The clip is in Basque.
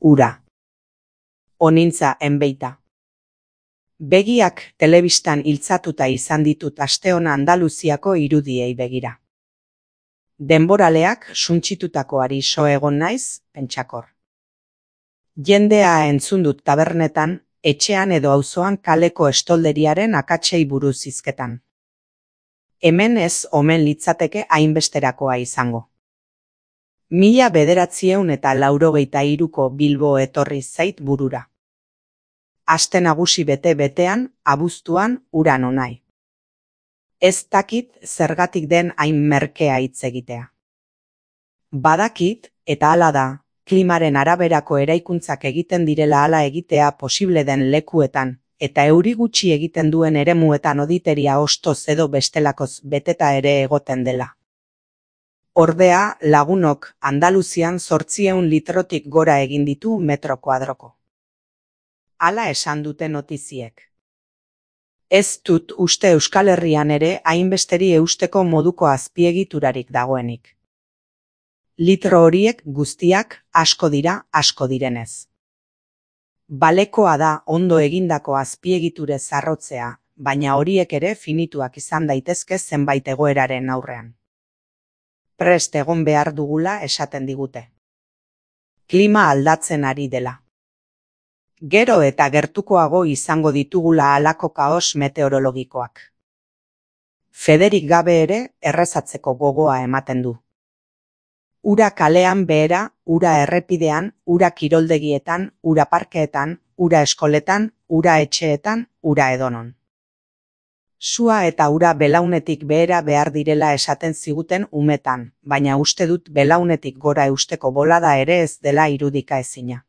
Ura. Onintza enbeita. Begiak telebistan iltzatuta izan ditut asteona Andaluziako irudiei begira. Denboraleak suntsitutakoari so egon naiz, pentsakor. Jendea entzun dut tabernetan, etxean edo auzoan kaleko estolderiaren akatsei buruz hizketan. Hemen ez omen litzateke hainbesterakoa izango. 1983ko Bilbo etorri zait burura. Aste nagusi bete-betean, abuztuan, ura nonai. Ez dakit zergatik den hain merkea hitz egitea. Badakit, eta hala da, klimaren araberako eraikuntzak egiten direla hala egitea posible den lekuetan, eta euri gutxi egiten duen eremuetan oditeria ostoz edo bestelakoz beteta ere egoten dela. Ordea, lagunok Andaluzian 800 litrotik gora egin ditu metro kuadroko. Hala esan dute notiziek. Ez dut uste Euskal Herrian ere hainbesteri eusteko moduko azpiegiturarik dagoenik. Litro horiek guztiak asko dira, asko direnez. Balekoa da ondo egindako azpiegiture zarrotzea, baina horiek ere finituak izan daitezke zenbait egoeraren aurrean. Prest egon behar dugula esaten digute. Klima aldatzen ari dela. Gero eta gertukoago izango ditugula halako kaos meteorologikoak. Federik gabe ere errezatzeko gogoa ematen du. Ura kalean behera, ura errepidean, ura kiroldegietan, ura parkeetan, ura eskoletan, ura etxeetan, ura edonon. Sua eta ura belaunetik behera behar direla esaten ziguten umetan, baina uste dut belaunetik gora eusteko bolada ere ez dela irudika ezina.